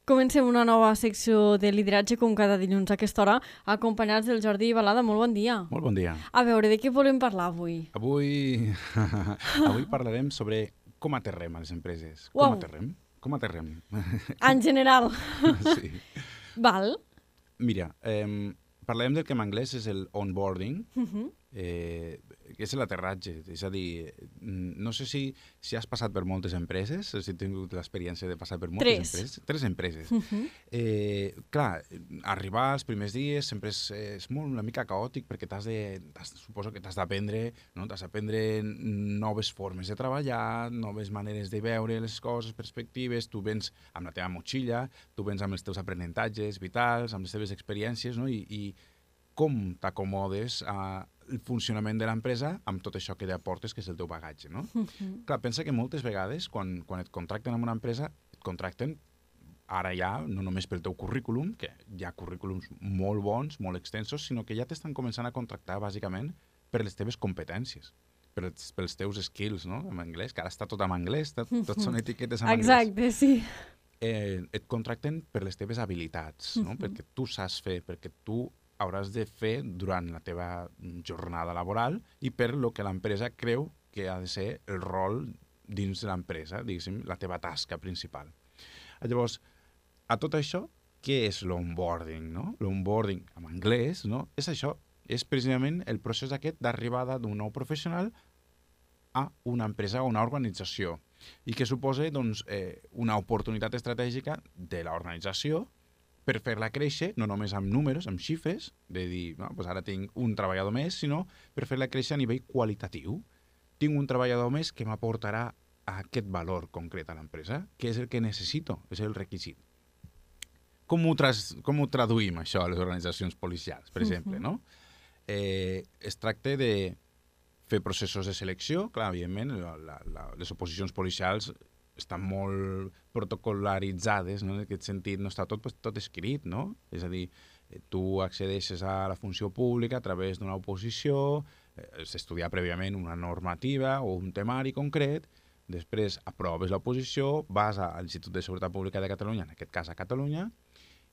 Comencem una nova secció de lideratge com cada dilluns a aquesta hora, acompanyats del Jordi Balada. Molt bon dia. Molt bon dia. A veure, de què volem parlar avui? Avui parlarem sobre com aterrem a les empreses. Uau. Com aterrem? En general. Sí. Val. Mira, parlarem del que en anglès és el onboarding, que és l'aterratge. És a dir, no sé si has passat per moltes empreses, si has tingut l'experiència de passar per moltes empreses. Tres empreses. Clar, arribar els primers dies sempre és molt una mica caòtic perquè suposo que t'has d'aprendre, no? T'has d'aprendre noves formes de treballar, noves maneres de veure les coses, perspectives. Tu vens amb la teva motxilla, tu vens amb els teus aprenentatges vitals, amb les teves experiències, no? I com t'acomodes al funcionament de l'empresa amb tot això que aportes, que és el teu bagatge, no? Clar, pensa que moltes vegades, quan et contracten en una empresa, et contracten ara ja, no només pel teu currículum, que hi ha currículums molt bons, molt extensos, sinó que ja t'estan començant a contractar, bàsicament, per les teves competències, pels teus skills, no?, en anglès, que ara està tot en anglès, tot són etiquetes en anglès. Exacte, sí. Et contracten per les teves habilitats, no? Perquè tu saps fer, perquè tu hauràs de fer durant la teva jornada laboral i per lo que l'empresa creu que ha de ser el rol dins de l'empresa, diguéssim, la teva tasca principal. Llavors, a tot això, què és l'onboarding, no? L'onboarding, en anglès, no? És això, és precisament el procés aquest d'arribada d'un nou professional a una empresa o una organització i que suposa doncs, una oportunitat estratègica de l'organització per fer-la créixer, no només amb números, amb xifres, de dir, no, doncs ara tinc un treballador més, sinó per fer-la créixer a nivell qualitatiu. Tinc un treballador més que m'aportarà aquest valor concret a l'empresa, que és el que necessito, és el requisit. Com ho traduïm, això, a les organitzacions policials, per exemple, no? Es tracta de fer processos de selecció, clar, evidentment, les oposicions policials estan molt protocolaritzades, no? En aquest sentit no està tot escrit, no? És a dir, tu accedeixes a la funció pública a través d'una oposició, has d'estudiar prèviament una normativa o un temari concret, després aproves l'oposició, vas a l'Institut de Seguretat Pública de Catalunya, en aquest cas a Catalunya,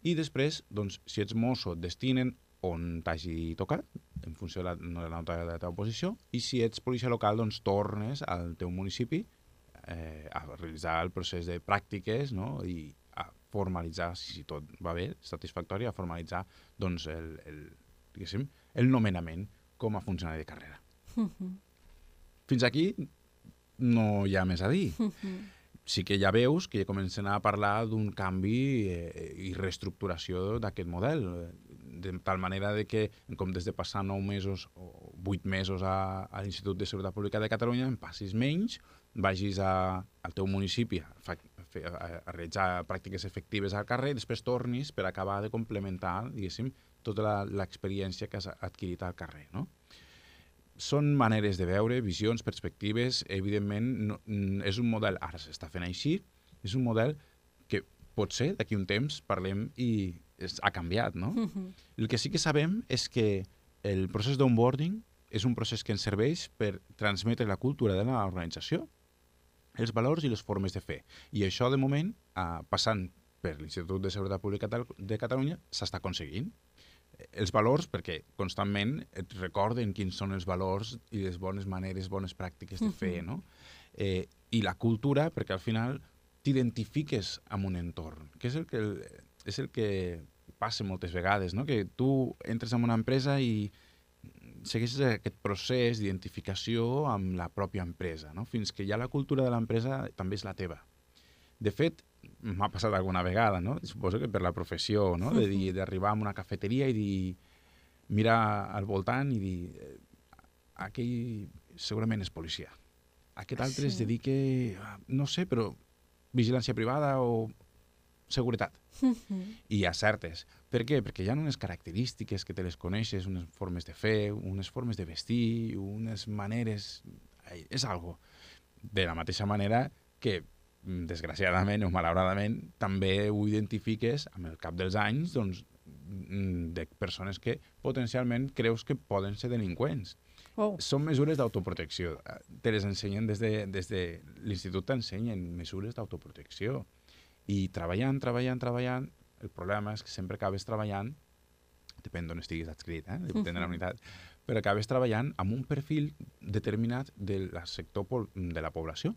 i després, doncs, si ets mosso, et destinen on t'hagi tocat, en funció de la nota de la teva oposició, i si ets policia local, doncs tornes al teu municipi a realitzar el procés de pràctiques, no? I a formalitzar, si tot va bé, satisfactori, a formalitzar doncs, el nomenament com a funcionari de carrera. Fins aquí no hi ha més a dir. Sí que ja veus que ja comencen a parlar d'un canvi i reestructuració d'aquest model, de tal manera que en comptes de passar 9 mesos o 8 mesos a l'Institut de Seguretat Pública de Catalunya, en passis menys, vagis al teu municipi a realitzar pràctiques efectives al carrer i després tornis per acabar de complementar, diguéssim, tota l'experiència que has adquirit al carrer, no? Són maneres de veure, visions, perspectives. Evidentment, és un model, ara s'està fent així, és un model que potser d'aquí un temps parlem i ha canviat, no? El que sí que sabem és que el procés d'onboarding és un procés que ens serveix per transmetre la cultura de l'organització, els valors i les formes de fer. I això, de moment, passant per l'Institut de Seguretat Pública de Catalunya, s'està aconseguint. Els valors, perquè constantment et recorden quins són els valors i les bones maneres, bones pràctiques de fer, no? I la cultura, perquè al final t'identifiques amb un entorn, que és el que passa moltes vegades, no? Que tu entres en una empresa i segueixes aquest procés d'identificació amb la pròpia empresa, no? Fins que ja la cultura de l'empresa també és la teva. De fet, m'ha passat alguna vegada, no? Suposo que per la professió, no? D'arribar a una cafeteria i dir, mirar al voltant i dir, aquell segurament és policia. Aquest altre es dedica, no sé, però vigilància privada o seguretat. I acertes. Per què? Perquè hi ha unes característiques que te les coneixes, unes formes de fer, unes formes de vestir, unes maneres... És algo. De la mateixa manera que, desgraciadament o malauradament, també ho identifiques amb el cap dels anys doncs, de persones que potencialment creus que poden ser delinqüents. Oh. Són mesures d'autoprotecció. Te les ensenyen des de l'institut, t'ensenyen mesures d'autoprotecció. I treballant, el problema és que sempre acabes treballant, depèn d'on estiguis adscrit, depèn de la unitat, però acabes treballant amb un perfil determinat del sector de la població.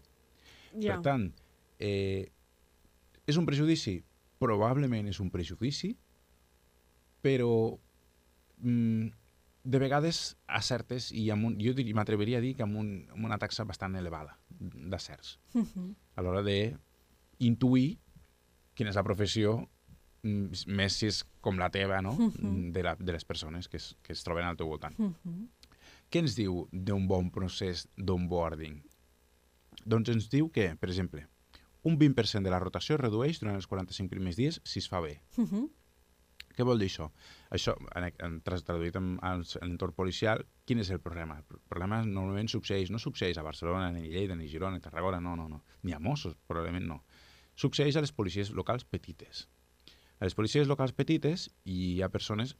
Per tant, és un prejudici? Probablement és un prejudici, però de vegades acertes i jo m'atreviria a dir que amb una taxa bastant elevada d'acerts a l'hora d'intuir quina és la professió més si és com la teva, no? De les persones que es troben al teu voltant. Què ens diu d'un bon procés d'onboarding? Doncs ens diu que, per exemple, un 20% de la rotació es redueix durant els 45 primers dies si es fa bé. Què vol dir això? Això, traduït en l'entorn policial, quin és el problema? El problema normalment no succeeix a Barcelona, ni a Lleida, ni a Girona, ni a Tarragona, no. Ni a Mossos, probablement no. Succeeix a les policies locals petites. A les policies locals petites hi ha persones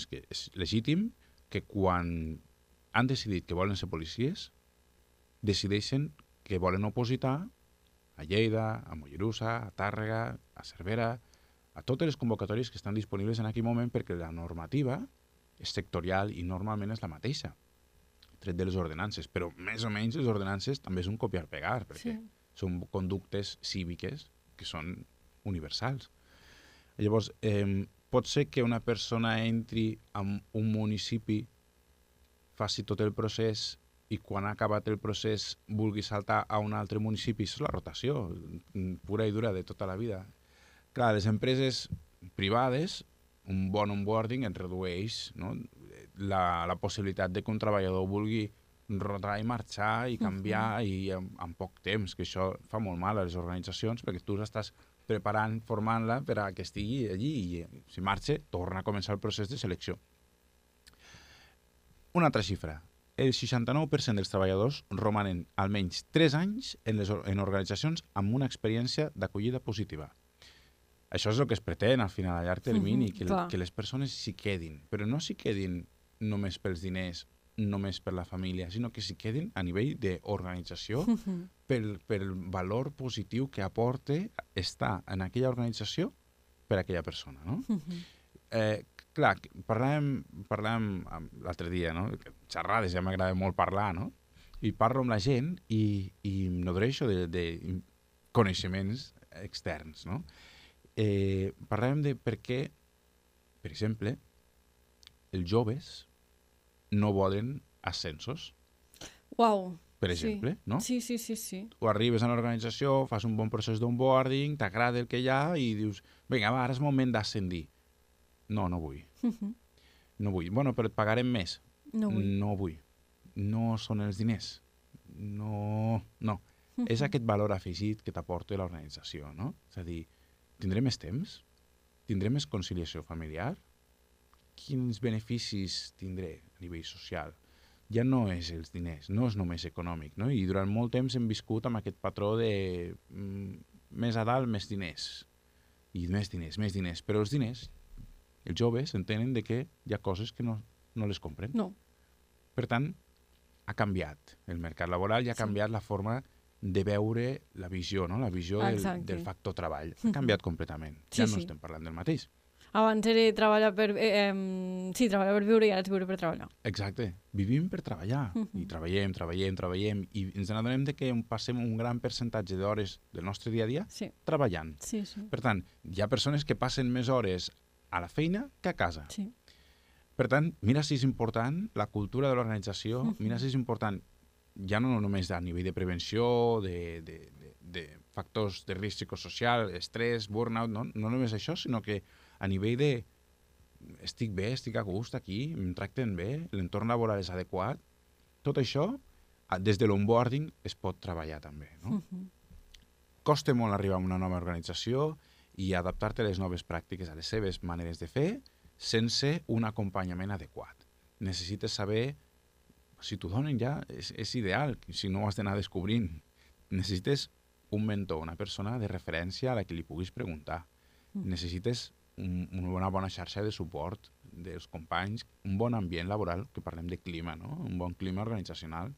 que és legítim que quan han decidit que volen ser policies, decideixen que volen opositar a Lleida, a Mollerussa, a Tàrrega, a Cervera, a totes les convocatòries que estan disponibles en aquell moment perquè la normativa és sectorial i normalment és la mateixa, tret de les ordenances, però més o menys les ordenances també és un copiar-pegar, perquè són conductes cíviques que són universals. Llavors, pot ser que una persona entri en un municipi, faci tot el procés i quan ha acabat el procés vulgui saltar a un altre municipi. Això és la rotació pura i dura de tota la vida. Clar, les empreses privades, un bon onboarding et redueix, no? la possibilitat de que un treballador vulgui rotar i marxar i canviar i en poc temps, que això fa molt mal a les organitzacions perquè tu estàs preparant, formant-la per a que estigui allí i si marxa, torna a començar el procés de selecció. Una altra xifra. El 69% dels treballadors romanen almenys 3 anys en organitzacions amb una experiència d'acollida positiva. Això és el que es pretén al final, a llarg termini, que les persones s'hi quedin, però no s'hi quedin només pels diners, només per la família, sinó que s'hi quedin a nivell d'organització pel valor positiu que aporta estar en aquella organització per a aquella persona, no? Clar, parlàvem l'altre dia, no? Xerrades, ja m'agrada molt parlar, no? I parlo amb la gent i em nodreixo de coneixements externs, no? Parlàvem de per què, per exemple, els joves no volen ascensos. Uau! Per exemple, no? Sí. O arribes a l'organització, fas un bon procés d'onboarding, t'agrada el que hi ha i dius, vinga, va, ara és moment d'ascendir. No vull. No vull. Bueno, però et pagarem més. No vull. No són els diners. No. És aquest valor afegit que t'aporta l'organització, no? És a dir, tindré més temps? Tindré més conciliació familiar? Quins beneficis tindré a nivell social? Ja no és els diners, no és només econòmic, no? I durant molt temps hem viscut amb aquest patró de més a dalt, més diners. I més diners. Però els diners, els joves entenen de que hi ha coses que no les compren. No. Per tant, ha canviat el mercat laboral i ha canviat la forma de veure la visió, no? La visió del factor treball. Ha canviat completament. Ja no estem parlant del mateix. Abans era treballar per viure i ara és viure per treballar. Exacte. Vivim per treballar. I treballem. I ens n'adonem que passem un gran percentatge d'hores del nostre dia a dia treballant. Sí. Per tant, hi ha persones que passen més hores a la feina que a casa. Sí. Per tant, mira si és important la cultura de l'organització, mira si és important ja no només a nivell de prevenció, de factors de risc psicosocial, estrès, burnout, no només això, sinó que a nivell de estic bé, estic a gust aquí, em tracten bé, l'entorn laboral és adequat, tot això, des de l'onboarding es pot treballar també, no? Costa molt arribar a una nova organització i adaptar-te a les noves pràctiques, a les seves maneres de fer, sense un acompanyament adequat. Necessites saber, si t'ho donen ja, és ideal, si no ho has d'anar descobrint. Necessites un mentor, una persona de referència a la que li puguis preguntar. Necessites una bona xarxa de suport dels companys, un bon ambient laboral, que parlem de clima, no? Un bon clima organitzacional.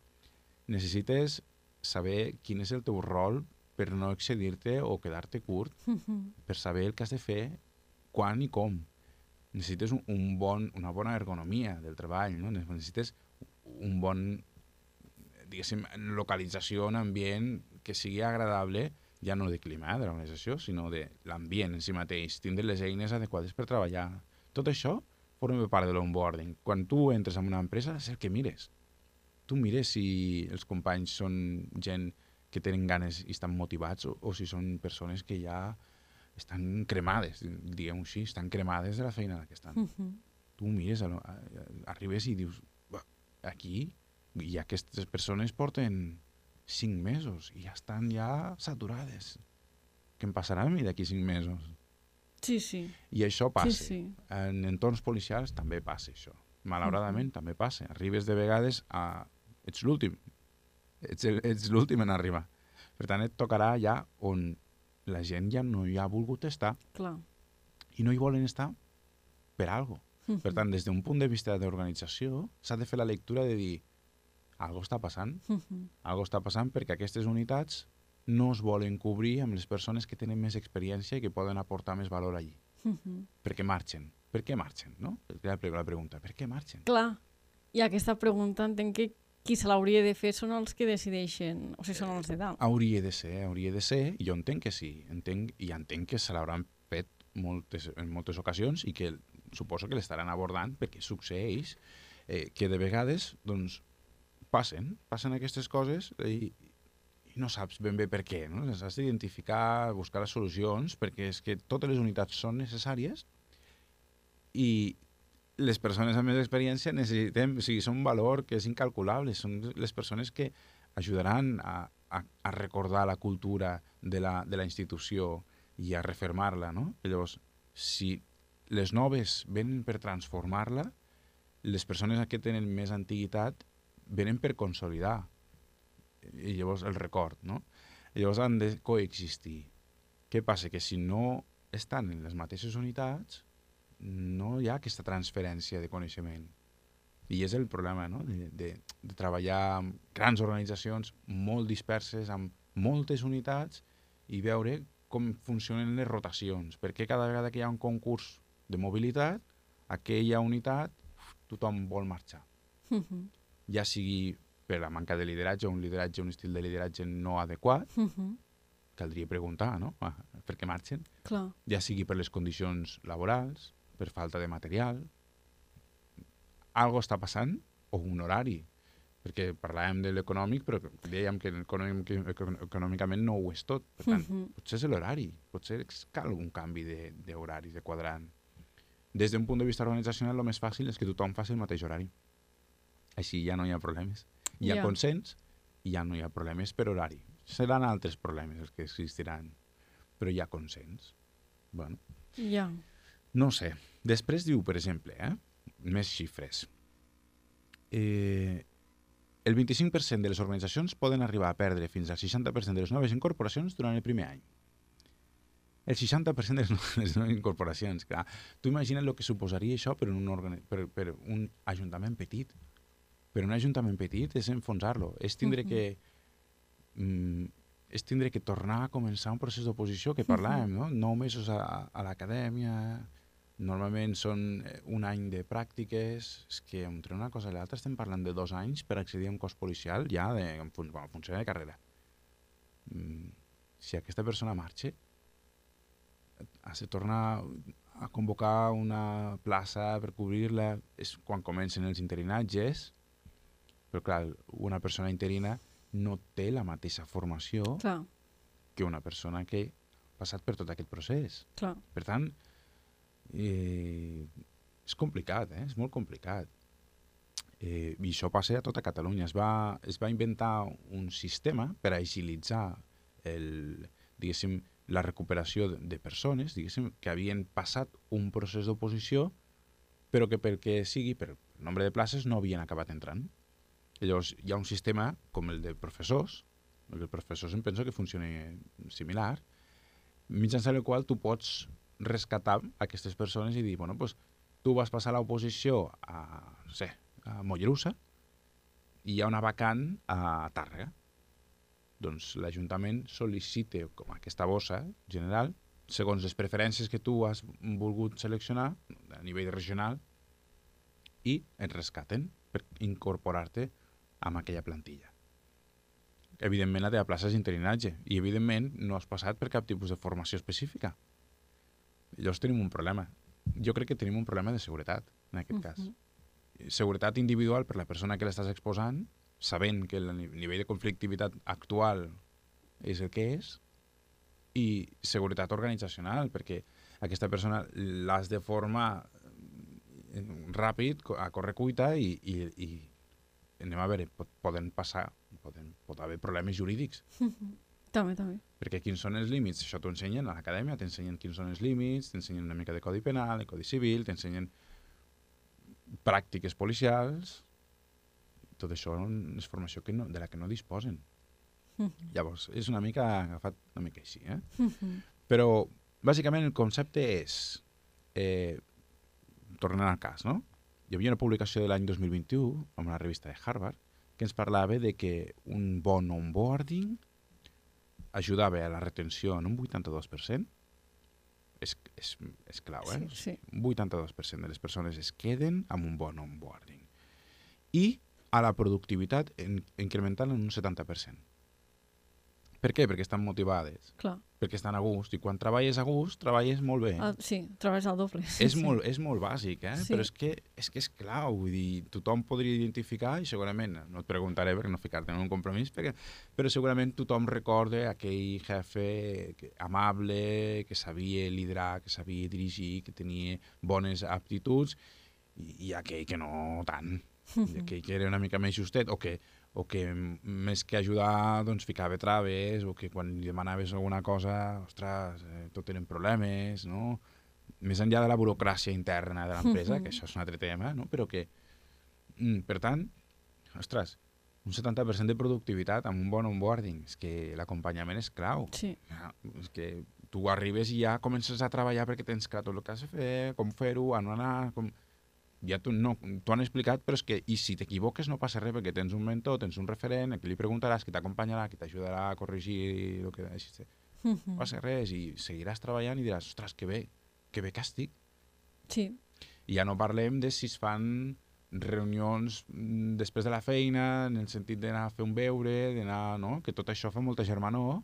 Necessites saber quin és el teu rol per no excedir-te o quedar-te curt, per saber el que has de fer, quan i com. Necessites una bona ergonomia del treball, no? Necessites un bon, diguéssim, localització, un ambient que sigui agradable, ja no de clima de l'organització, sinó de l'ambient en si mateix, tindre les eines adequades per treballar. Tot això forma part de l'onboarding. Quan tu entres en una empresa, és el que mires. Tu mires si els companys són gent que tenen ganes i estan motivats o si són persones que ja estan cremades, diguem-ho així, estan cremades de la feina que estan. Tu mires, arribes i dius, aquí i aquestes persones porten 5 mesos i ja estan ja saturades. Què em passarà a mi d'aquí 5 mesos? Sí, sí. I això passa. Sí. En entorns policials també passa això. Malauradament també passa. Arribes de vegades a... Ets l'últim. Ets l'últim en arribar. Per tant, et tocarà ja on la gent ja no hi ha volgut estar. Clar. I no hi volen estar per alguna cosa. Per tant, des d'un punt de vista d'organització, s'ha de fer la lectura de dir algo està passant. Algo està passant perquè aquestes unitats no es volen cobrir amb les persones que tenen més experiència i que poden aportar més valor allí. Perquè marxen. Per què marxen? No? La pregunta, per què marxen? Clar. I aquesta pregunta entenc que qui se l'hauria de fer són els que decideixen, o sigui, són els de dalt. Hauria de ser, i jo entenc que sí, entenc que se l'hauran fet en moltes ocasions i que suposo que l'estaran abordant perquè succeeix que de vegades doncs, passen aquestes coses i no saps ben bé per què, no? Has d'identificar, buscar les solucions, perquè és que totes les unitats són necessàries i les persones amb més experiència necessitem, o sigui, són un valor que és incalculable, són les persones que ajudaran a recordar la cultura de la institució i a refermar-la, no? Llavors, si les noves venen per transformar-la, les persones que tenen més antiguitat venen per consolidar i llavors el record, no? I llavors han de coexistir. Què passa? Que si no estan en les mateixes unitats no hi ha aquesta transferència de coneixement. I és el problema, no? de treballar amb grans organitzacions molt disperses, amb moltes unitats i veure com funcionen les rotacions. Perquè cada vegada que hi ha un concurs de mobilitat, aquella unitat tothom vol marxar. Ja sigui per la manca de lideratge, un estil de lideratge no adequat, caldria preguntar, no? Per què marxen? Clar. Ja sigui per les condicions laborals, per falta de material, algo està passant, o un horari, perquè parlàvem de l'econòmic, però dèiem que econòmicament no ho és tot. Per tant, potser és l'horari, potser cal un canvi d'horari, de quadrant. Des d'un punt de vista organitzacional, el més fàcil és que tothom faci el mateix horari. Així ja no hi ha problemes. Hi ha consens i ja no hi ha problemes per horari. Seran altres problemes els que existiran, però hi ha consens. Bueno. No sé. Després diu, per exemple, més xifres. El 25% de les organitzacions poden arribar a perdre fins al 60% de les noves incorporacions durant el primer any. El 60% de les noves incorporacions. Clar. Tu imagina't el que suposaria això per un ajuntament petit. Per un ajuntament petit és enfonsar-lo. És tindre que tornar a començar un procés d'oposició que parlàvem, no? 9 mesos a l'acadèmia, normalment són un any de pràctiques, és que entre una cosa i l'altra estem parlant de 2 anys per accedir a un cos policial ja en funció de carrera. Si aquesta persona marxa, has de tornar a convocar una plaça per cobrir-la, és quan comencen els interinatges, però clar, una persona interina no té la mateixa formació que una persona que ha passat per tot aquest procés. Clar. Per tant, és complicat, és molt complicat. I això passa a tota Catalunya. Es va inventar un sistema per agilitzar la recuperació de persones que havien passat un procés d'oposició però que perquè sigui per nombre de places no havien acabat entrant. Llavors hi ha un sistema com el de professors, perquè els professors em penso que funciona similar, mitjançant el qual tu pots rescatar aquestes persones i dir, bueno, doncs tu vas passar l'oposició a Mollerussa i hi ha una vacant a Tàrrega. doncs l'Ajuntament sol·licita com aquesta bossa general segons les preferències que tu has volgut seleccionar a nivell regional i et rescaten per incorporar-te amb aquella plantilla. Evidentment, la teva plaça és interinatge i, evidentment, no has passat per cap tipus de formació específica. Llavors tenim un problema. Jo crec que tenim un problema de seguretat, en aquest cas. Seguretat individual per la persona que l'estàs exposant, sabent que el nivell de conflictivitat actual és el que és, i seguretat organitzacional, perquè aquesta persona l'has de formar ràpid, a correcuita, i anem a veure, pot haver problemes jurídics. També. Perquè quins són els límits? Això t'ho ensenyen a l'acadèmia, t'ensenyen quins són els límits, t'ensenyen una mica de codi penal, de codi civil, t'ensenyen pràctiques policials. Tot això és formació de la que no disposen. Llavors, és una mica agafat una mica així. Però, bàsicament, el concepte és, tornant al cas, no? Hi havia una publicació de l'any 2021 en una revista de Harvard que ens parlava de que un bon onboarding ajudava a la retenció en un 82%. És clau, Sí. Un 82% de les persones es queden amb un bon onboarding. I a la productivitat incrementant en un 70%. Per què? Perquè estan motivades. Clar. Perquè estan a gust. I quan treballes a gust, treballes molt bé. Sí, treballes al doble. És molt bàsic, Sí. Però és que és clau. Vull dir, tothom podria identificar, i segurament, no et preguntaré per no ficar-te en un compromís, però segurament tothom recorda aquell jefe amable, que sabia liderar, que sabia dirigir, que tenia bones aptituds, i aquell que no tant. Aquell que era una mica més justet, o que més que ajudar doncs ficava traves, o que quan li demanaves alguna cosa, ostres, tot eren problemes, no? Més enllà de la burocràcia interna de l'empresa, que això és un altre tema, no? Però que, per tant, ostres, un 70% de productivitat amb un bon onboarding, és que l'acompanyament és clau. Sí. És que tu arribes i ja comences a treballar perquè tens clar tot el que has de fer, com fer-ho, on anar, com... Ja t'ho han explicat, però és que, i si t'equivoques no passa res, perquè tens un mentor, tens un referent, a qui li preguntaràs, qui t'acompanyarà, qui t'ajudarà a corregir el que deixis. No passa res, i seguiràs treballant i diràs, ostres, que bé que estic. Sí. I ja no parlem de si es fan reunions després de la feina, en el sentit d'anar a fer un beure, d'anar, no? Que tot això fa molta germanor,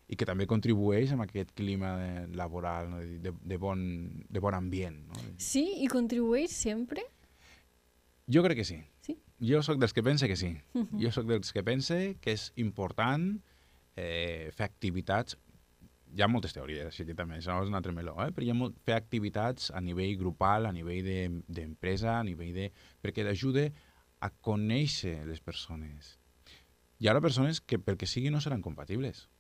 i que també contribueix amb aquest clima laboral, no? de bon ambient. No? Sí, i contribueix sempre? Jo crec que sí. Sí? Jo sóc dels que pensa que sí. Jo sóc dels que pensa que és important fer activitats. Hi ha moltes teories, així que també, això és un altre meló, però hi ha fer activitats a nivell grupal, a nivell d'empresa, a nivell de... perquè t'ajuda a conèixer les persones. Hi haurà persones que pel que sigui no seran compatibles.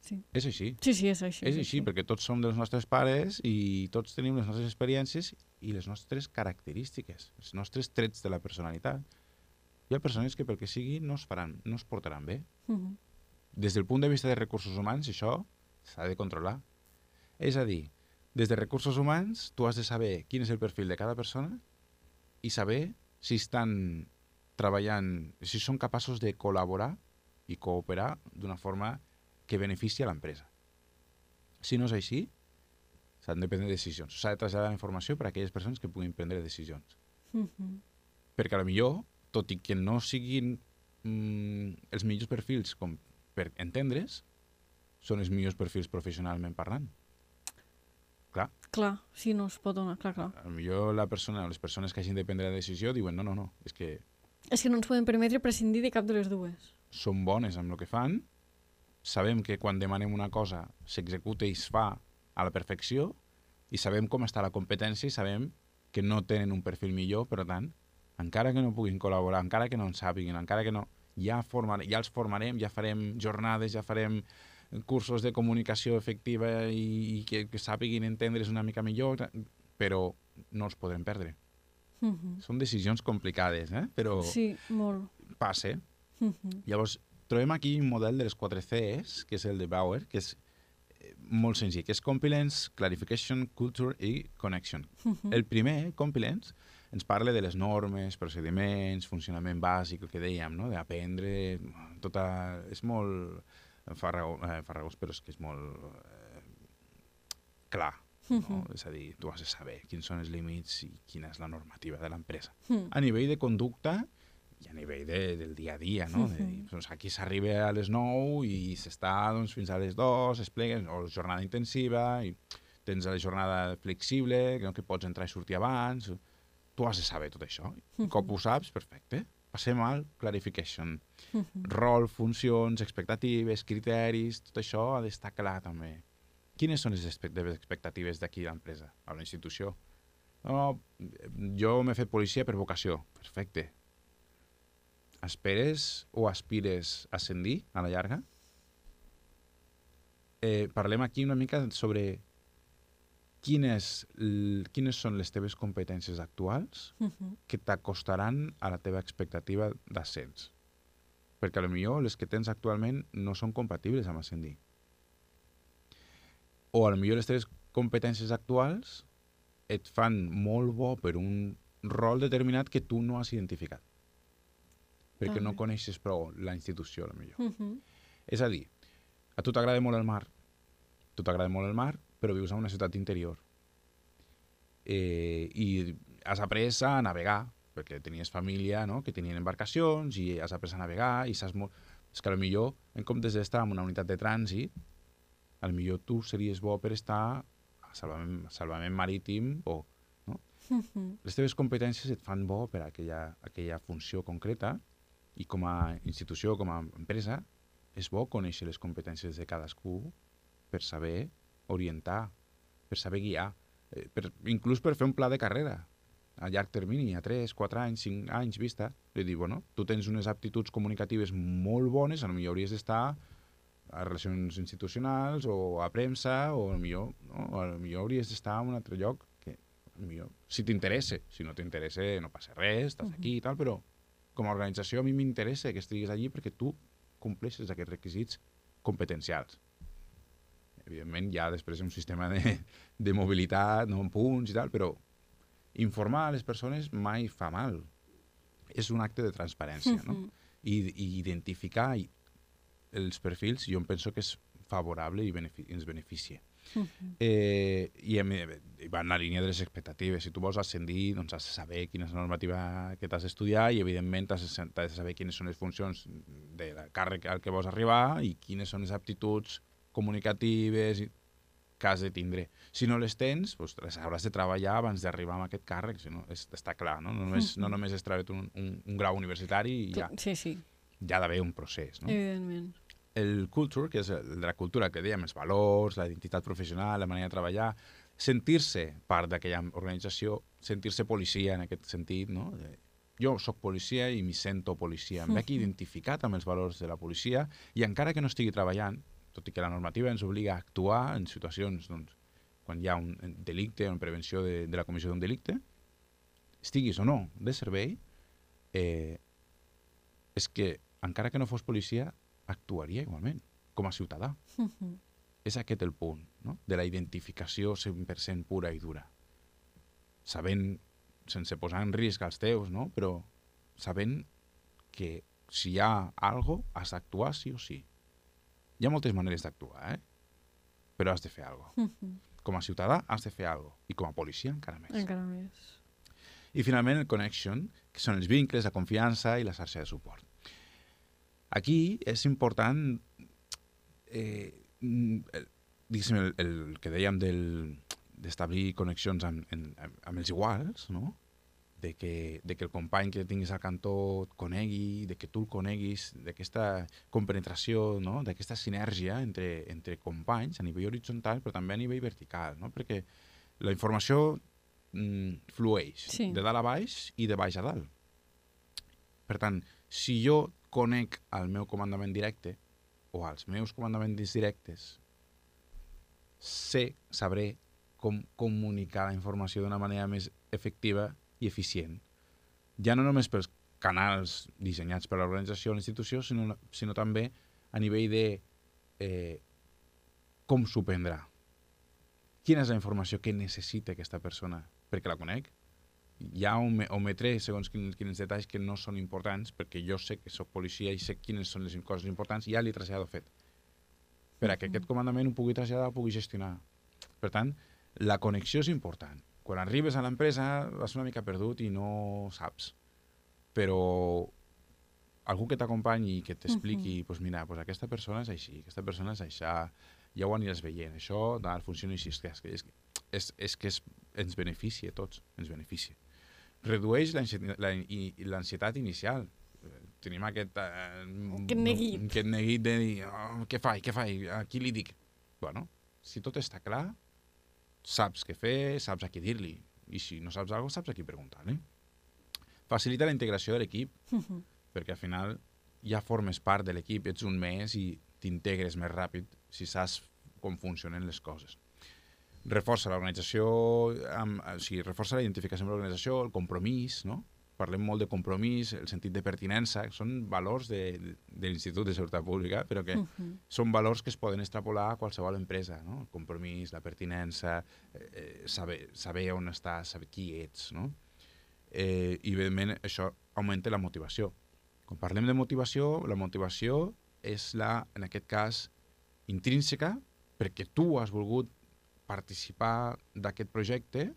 Sí. És així. Sí, és així. És així, perquè tots som dels nostres pares i tots tenim les nostres experiències i les nostres característiques, els nostres trets de la personalitat. Hi ha persones que pel que sigui no es portaran bé. Des del punt de vista de recursos humans, això s'ha de controlar. És a dir, des de recursos humans tu has de saber quin és el perfil de cada persona i saber si estan treballant, si són capaços de col·laborar i cooperar d'una forma que beneficia a l'empresa. Si no és així, s'han de prendre decisions. S'ha de traslladar la informació per a aquelles persones que puguin prendre decisions. Perquè potser, tot i que no siguin els millors perfils com per entendre's, són els millors perfils professionalment parlant. Clar, sí, no es pot donar, clar. Potser la persona o les persones que hagin de prendre la decisió diuen no, és que... És que no ens podem permetre prescindir de cap de les dues. Són bones amb el que fan, sabem que quan demanem una cosa s'executa i es fa a la perfecció i sabem com està la competència i sabem que no tenen un perfil millor, per tant, encara que no puguin col·laborar, encara que no en sàpiguin, encara que no... Ja els formarem, ja farem jornades, ja farem cursos de comunicació efectiva i que sàpiguin entendre's una mica millor, però no els podrem perdre. Són decisions complicades, però sí, molt. passa. Llavors, trobem aquí un model de les 4 Cs, que és el de Bauer, que és molt senzill, que és Compilance, Clarification, Culture i Connection. El primer, Compilance, ens parla de les normes, procediments, funcionament bàsic, el que dèiem, no? D'aprendre, és molt farragós, però és que és molt clar. No? És a dir, tu has de saber quins són els límits i quina és la normativa de l'empresa. A nivell de conducta i a nivell del dia a dia, no? De dir, doncs aquí s'arriba a les 9 i s'està doncs, fins a les 2, es pleguen, o jornada intensiva, i tens la jornada flexible, que pots entrar i sortir abans. Tu has de saber tot això. Un cop ho saps, perfecte. Passem al clarification. Rol, funcions, expectatives, criteris, tot això ha d'estar clar també. Quines són les expectatives d'aquí l'empresa, a la institució? No, jo m'he fet policia per vocació. Perfecte. Esperes o aspires a ascendir a la llarga? Parlem aquí una mica sobre quines són les teves competències actuals que t'acostaran a la teva expectativa d'ascens. Perquè potser les que tens actualment no són compatibles amb ascendir. O potser les teves competències actuals et fan molt bo per un rol determinat que tu no has identificat. Perquè no coneixes prou la institució, potser. És a dir, a tu t'agrada molt el mar. Però vius en una ciutat interior. I has après a navegar, perquè tenies família, no?, que tenien embarcacions, i has après a navegar, i saps molt... És que potser, en comptes d'estar en una unitat de trànsit, potser tu series bo per estar a salvament marítim o... No? Les teves competències et fan bo per a aquella funció concreta, i com a institució, com a empresa, és bo conèixer les competències de cadascú per saber orientar, per saber guiar, inclús per fer un pla de carrera a llarg termini, a 3, 4 anys, 5 anys vista. És dir, bueno, tu tens unes aptituds comunicatives molt bones, potser hauries d'estar a relacions institucionals o a premsa, o potser hauries d'estar en un altre lloc que potser, si t'interessa. Si no t'interessa, no passa res, estàs aquí i tal, però com a organització a mi m'interessa que estiguis allí perquè tu compleixes aquests requisits competencials. Evidentment, hi ha després un sistema de mobilitat, no, en punts i tal, però informar a les persones mai fa mal. És un acte de transparència, no? I identificar els perfils, jo em penso que és favorable i ens beneficia. I va en la línia de les expectatives. Si tu vols ascendir, doncs has de saber quina és la normativa que t'has d'estudiar i, evidentment, has de saber quines són les funcions del càrrec al que vols arribar i quines són les aptituds comunicatives que has de tindre. Si no les tens, doncs les hauràs de treballar abans d'arribar a aquest càrrec, si no, està clar, no? No només és treure un grau universitari i ja. Sí. Hi ha d'haver un procés, no? Evidentment. El culture, que és el de la cultura que dèiem, els valors, la identitat professional, la manera de treballar, sentir-se part d'aquella organització, sentir-se policia en aquest sentit, no? Jo sóc policia i m'hi sento policia. Em veig identificat amb els valors de la policia i encara que no estigui treballant, tot i que la normativa ens obliga a actuar en situacions, doncs, quan hi ha un delicte o en prevenció de la comissió d'un delicte, estiguis o no de servei, és que encara que no fos policia, actuaria igualment, com a ciutadà. És aquest el punt, no?, de la identificació 100% pura i dura. Sabent, sense posar en risc els teus, no?, però sabent que si hi ha alguna cosa, has d'actuar sí o sí. Hi ha moltes maneres d'actuar, però has de fer alguna cosa. Com a ciutadà has de fer alguna cosa. I com a policia encara més. Encara més. I finalment el connection, que són els vincles, la confiança i la xarxa de suport. Aquí és important, diguéssim, el que dèiem d'establir connexions amb els iguals, no?, de que el company que tinguis al cantó et conegui, de que tu el coneguis, d'aquesta compenetració, no?, d'aquesta sinergia entre companys a nivell horitzontal, però també a nivell vertical, no?, perquè la informació flueix de dalt a baix i de baix a dalt. Per tant, si jo conec el meu comandament directe o els meus comandaments directes, sabré com comunicar la informació d'una manera més efectiva i eficient. Ja no només pels canals dissenyats per l'organització o l'institució, sinó també a nivell de com s'ho prendrà. Quina és la informació que necessita aquesta persona perquè la conec? Ja ometré segons quins detalls que no són importants, perquè jo sé que soc policia i sé quines són les coses importants i ja l'he traslladat fet. per a que aquest comandament ho pugui traslladar, ho pugui gestionar. Per tant, la connexió és important. Quan arribes a l'empresa vas una mica perdut i no saps. Però algú que t'acompanyi i que t'expliqui, doncs mira, doncs aquesta persona és així, aquesta persona és això, ja ho aniràs veient, això funciona així, és que ens beneficia a tots, ens beneficia. Redueix l'ansietat inicial. Tenim aquest neguit de dir, què faig, a qui li dic? Bueno, si tot està clar, saps què fer, saps a qui dir-li, i si no saps alguna cosa, saps a qui preguntar-li. Facilita la integració de l'equip, perquè al final ja formes part de l'equip, ets un més i t'integres més ràpid si saps com funcionen les coses. Reforça l'organització, reforça la identificació amb l'organització, el compromís, no? Parlem molt de compromís, el sentit de pertinença, són valors de l'Institut de Seguretat Pública, però que són valors que es poden extrapolar a qualsevol empresa, no? El compromís, la pertinença, saber on estàs, saber qui ets, no? I evidentment això augmenta la motivació. Quan parlem de motivació, la motivació és en aquest cas intrínseca, perquè tu has volgut participar d'aquest projecte,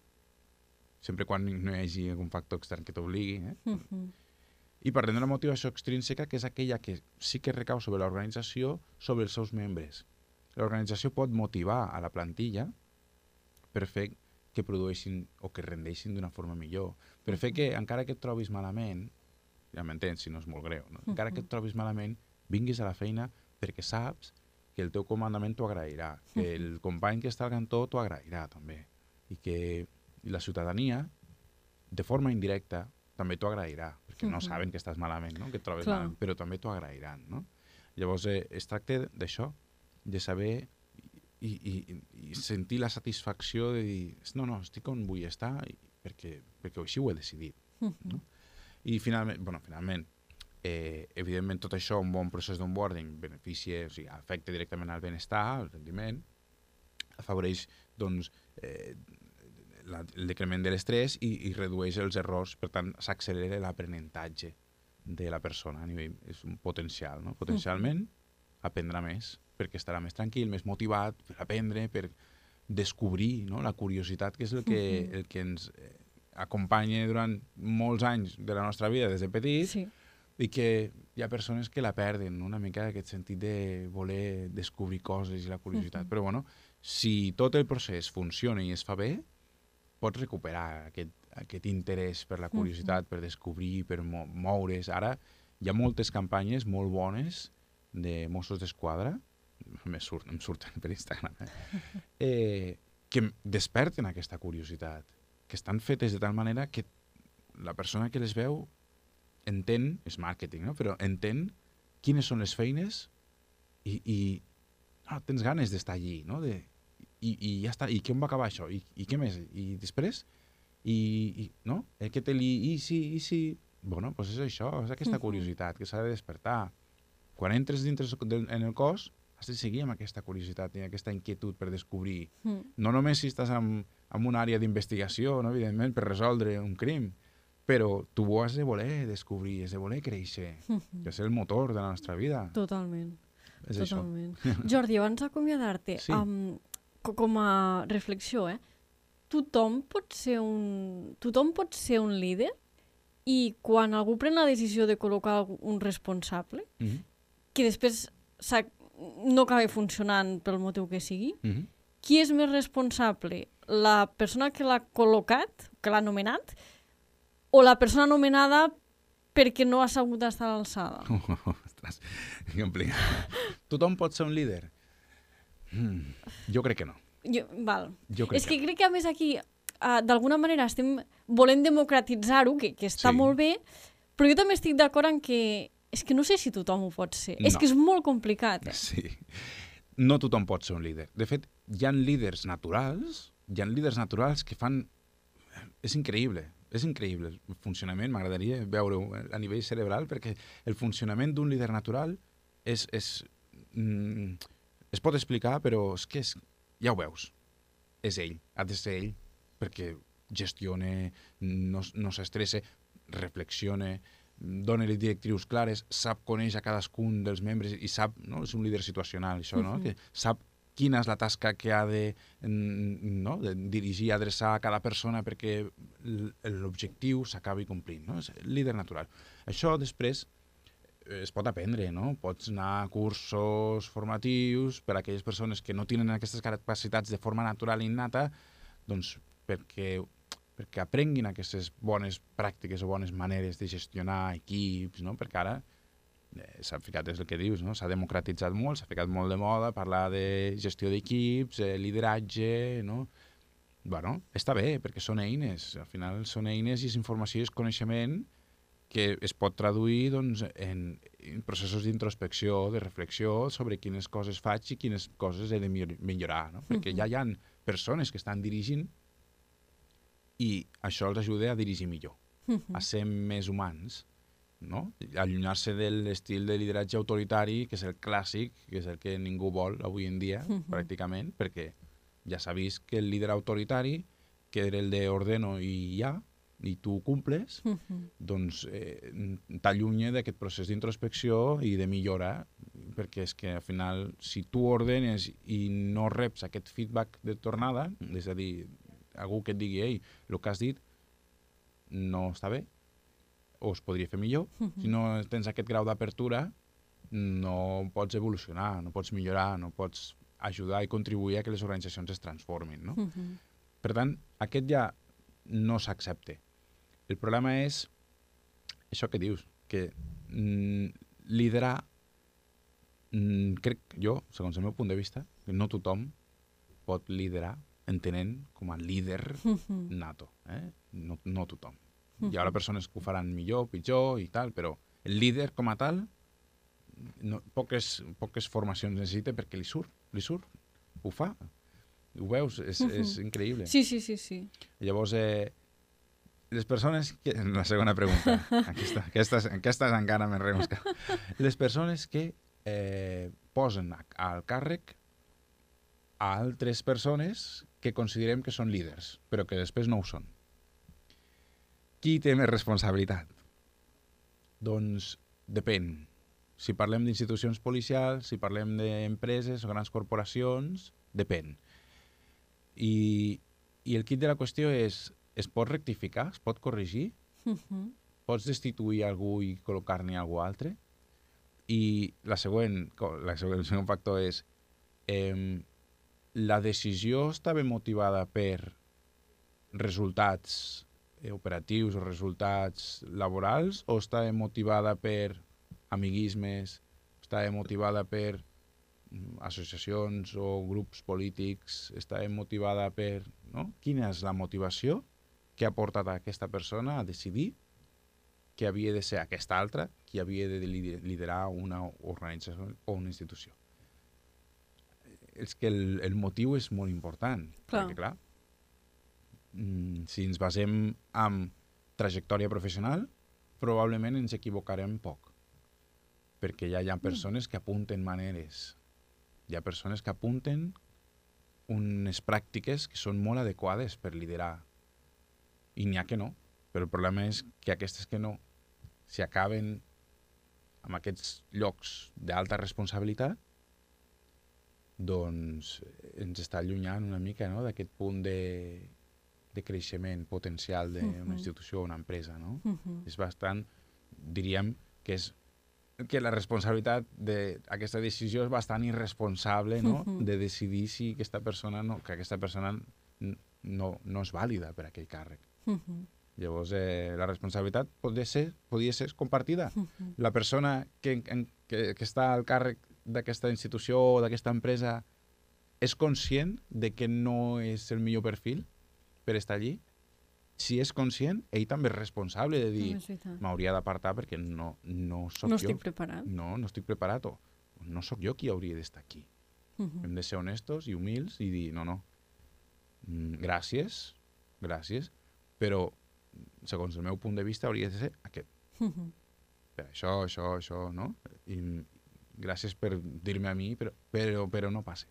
sempre quan no hi hagi algun factor extern que t'obligui. I parlem de la motivació extrínseca, que és aquella que sí que recau sobre l'organització, sobre els seus membres. L'organització pot motivar a la plantilla per fer que produeixin o que rendeixin d'una forma millor, per fer que, encara que et trobis malament, ja m'entens, si no és molt greu, no? Encara que et trobis malament, vinguis a la feina perquè saps que el teu comandament t'ho agrairà, que el company que està al cantó t'ho agrairà també, i que la ciutadania, de forma indirecta, també t'ho agrairà, perquè no saben que estàs malament, no? Que et trobes malament, però també t'ho agrairan, no? Llavors, es tracta d'això, de saber i sentir la satisfacció de dir, no, estic on vull estar perquè així ho he decidit. No? I finalment, evidentment tot això, un bon procés d'onboarding beneficia, o sigui, afecta directament al benestar, al rendiment, afavoreix doncs, el decrement de l'estrès i redueix els errors, per tant s'accelera l'aprenentatge de la persona a nivell, és un potencial, no? Potencialment aprendrà més, perquè estarà més tranquil, més motivat per aprendre, per descobrir, no? La curiositat, que és el que ens acompanya durant molts anys de la nostra vida des de petits, i que hi ha persones que la perden, no? Una mica aquest sentit de voler descobrir coses i la curiositat. Però bueno, si tot el procés funciona i es fa bé, pots recuperar aquest interès per la curiositat, per descobrir, per moure's. Ara hi ha moltes campanyes molt bones de Mossos d'Esquadra, em surten per Instagram, que desperten aquesta curiositat, que estan fetes de tal manera que la persona que les veu entén, és màrqueting, no? Però entén quines són les feines i tens ganes d'estar allí, no? I ja està, i com va acabar això? I què més? I després? No? I si... Bueno, doncs és això, és aquesta curiositat que s'ha de despertar. Quan entres dintre en el cos, has de seguir amb aquesta curiositat i aquesta inquietud per descobrir. No només si estàs en una àrea d'investigació, no? Evidentment, per resoldre un crim, però tu ho has de voler descobrir, has de voler créixer, que és el motor de la nostra vida. Totalment. És Totalment. Jordi, abans d'acomiadar-te, com a reflexió, tothom pot ser un líder, i quan algú pren la decisió de col·locar un responsable, que després no acaba funcionant pel motiu que sigui, qui és més responsable? La persona que l'ha col·locat, que l'ha nomenat, o la persona nomenada perquè no ha sabut estar a l'alçada? Ostres, que complicat. Tothom pot ser un líder? Jo crec que no. Crec que a més aquí d'alguna manera estem volent democratitzar-ho, que està molt bé, però jo també estic d'acord en que és que no sé si tothom ho pot ser. No. És que és molt complicat. Sí. No tothom pot ser un líder. De fet, hi ha líders naturals que fan... És increïble el funcionament, m'agradaria veure-ho a nivell cerebral, perquè el funcionament d'un líder natural es pot explicar, però és que ja ho veus. És ell, ha de ser ell, perquè gestiona, no s'estressa, reflexiona, dona les directrius clares, sap conèixer a cadascun dels membres i sap, no? És un líder situacional, això, no? Que sap quina és la tasca que ha de, no? De dirigir, adreçar a cada persona perquè l'objectiu s'acabi complint, no? És el líder natural. Això després es pot aprendre, no? Pots anar a cursos formatius per a aquelles persones que no tenen aquestes capacitats de forma natural i innata, doncs perquè aprenguin aquestes bones pràctiques o bones maneres de gestionar equips, no? Perquè ara s'ha ficat, és el que dius, no? S'ha democratitzat molt, s'ha ficat molt de moda parlar de gestió d'equips, lideratge, no? Bueno, està bé, perquè són eines, al final són eines i és informació i és coneixement que es pot traduir doncs, en processos d'introspecció, de reflexió sobre quines coses faig i quines coses he de millorar, no? Perquè ja hi ha persones que estan dirigint i això els ajuda a dirigir millor, a ser més humans, no? Allunyar-se de l'estil de lideratge autoritari, que és el clàssic, que és el que ningú vol avui en dia, pràcticament, perquè ja s'ha vist que el líder autoritari, que era el de ordeno i ja, i tu cumples, doncs t'allunya d'aquest procés d'introspecció i de millora, perquè és que al final, si tu ordenes i no reps aquest feedback de tornada, és a dir, algú que et digui, ei, el que has dit no està bé, o es podria fer millor. Si no tens aquest grau d'apertura, no pots evolucionar, no pots millorar, no pots ajudar i contribuir a que les organitzacions es transformin, no? Per tant, aquest ja no s'accepta. El problema és això que dius, que liderar, crec jo, segons el meu punt de vista, que no tothom pot liderar entenent com a líder nato. No tothom. Hi haurà persones que ho faran millor, pitjor i tal, però el líder com a tal poques formacions necessita perquè li surt, ho fa. Ho veus? És increïble. Sí. Llavors, les persones que... La segona pregunta. Aquestes encara més remosca. Les persones que posen al càrrec a altres persones que considerem que són líders, però que després no ho són. Qui té més responsabilitat? Doncs depèn. Si parlem d'institucions policials, si parlem d'empreses o grans corporacions, depèn. I el quid de la qüestió és, es pot rectificar? Es pot corregir? Pots destituir algú i col·locar-ne algú altre? I el segon factor és la decisió estava motivada per resultats operatius o resultats laborals o estava motivada per amiguismes, estava motivada per associacions o grups polítics, estava motivada per... No? Quina és la motivació que ha portat a aquesta persona a decidir que havia de ser aquesta altra qui havia de liderar una organització o una institució? És que el motiu és molt important. Clar. Perquè, clar, si ens basem en trajectòria professional, probablement ens equivocarem poc. Perquè ja hi ha persones que apunten maneres. Hi ha persones que apunten unes pràctiques que són molt adequades per liderar. I n'hi ha que no. Però el problema és que aquestes que no, si acaben en aquests llocs d'alta responsabilitat, doncs ens està allunyant una mica, no?, d'aquest punt de creixement potencial d'una institució o una empresa, no? És bastant, diríem, que la responsabilitat d'aquesta decisió és bastant irresponsable, no?, de decidir si aquesta persona no és vàlida per a aquell càrrec. Llavors, la responsabilitat podria ser compartida. La persona que està al càrrec d'aquesta institució o d'aquesta empresa és conscient de que no és el millor perfil per estar allí? Si és conscient, ell també és responsable de dir m'hauria d'apartar perquè no soc jo. No estic preparat. No estic preparat o no sóc jo qui hauria d'estar aquí. Hem de ser honestos i humils i dir no. Gràcies, però segons el meu punt de vista hauria de ser aquest. Per això, no? I gràcies per dir-me a mi, però no passa.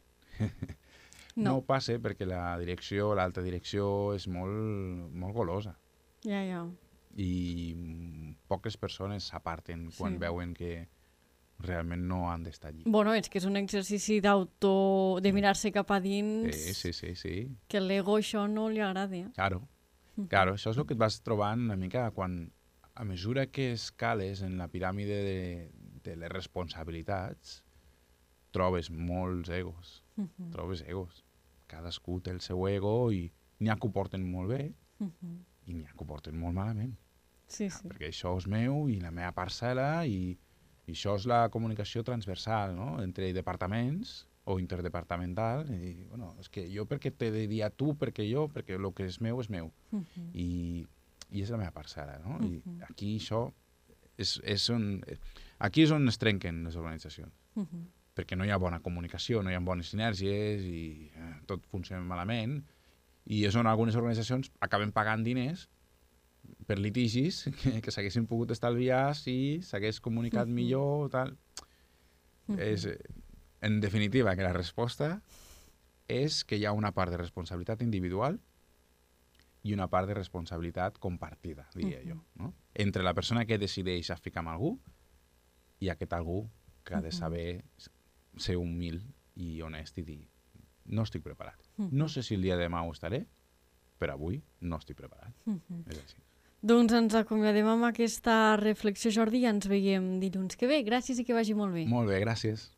No passa perquè la direcció, l'alta direcció, és molt golosa. Ja. i poques persones s'aparten quan veuen que realment no han d'estar allí. Bueno, és que és un exercici de mirar-se cap a dins, Sí. que l'ego això no li agrada. Claro, això és el que et vas trobant una mica quan, a mesura que escales en la piràmide de les responsabilitats, trobes molts egos, Cadascú té el seu ego i n'hi ha que ho porten molt bé i n'hi ha que ho porten molt malament. Sí. Perquè això és meu i la meva parcel·la i això és la comunicació transversal, no? Entre departaments o interdepartamental. I, bueno, és que jo perquè t'he de dir a tu, perquè el que és meu és meu. I és la meva parcel·la, no? I aquí això aquí és on es trenquen les organitzacions. Perquè no hi ha bona comunicació, no hi ha bones sinergies i tot funciona malament. I és on algunes organitzacions acaben pagant diners per litigis que s'haguessin pogut estalviar si s'hagués comunicat millor. Tal. En definitiva, que la resposta és que hi ha una part de responsabilitat individual i una part de responsabilitat compartida, diria jo. No? Entre la persona que decideix a ficar amb algú i aquest algú que ha de saber ser humil i honest i dir no estic preparat. No sé si el dia de demà ho estaré, però avui no estic preparat. És així. Doncs ens acomiadem amb aquesta reflexió, Jordi, i ens veiem dilluns que ve. Gràcies i que vagi molt bé. Molt bé, gràcies.